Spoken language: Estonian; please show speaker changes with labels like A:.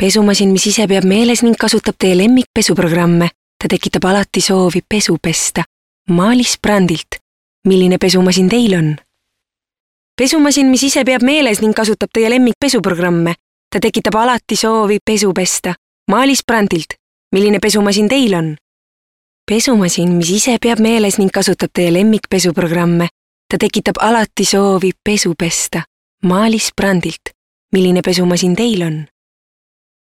A: Pesumasin, mis ise peab meeles ning kasutab teie lemmikpesuprogramme. Ta tekitab alati soovi pesu pesta. Maalis brandilt. Milline pesumasin teil on? Pesumasin, mis ise peab meeles ning kasutab teie lemmikpesuprogramme. Ta tekitab alati soovi pesu pesta. Maalis brandilt. Milline pesumasin teil on? Pesumasin, mis ise peab meeles ning kasutab teie lemmikpesuprogramme. Ta tekitab alati soovi pesu pesta. Maalis brandilt. Milline pesumasin teil on?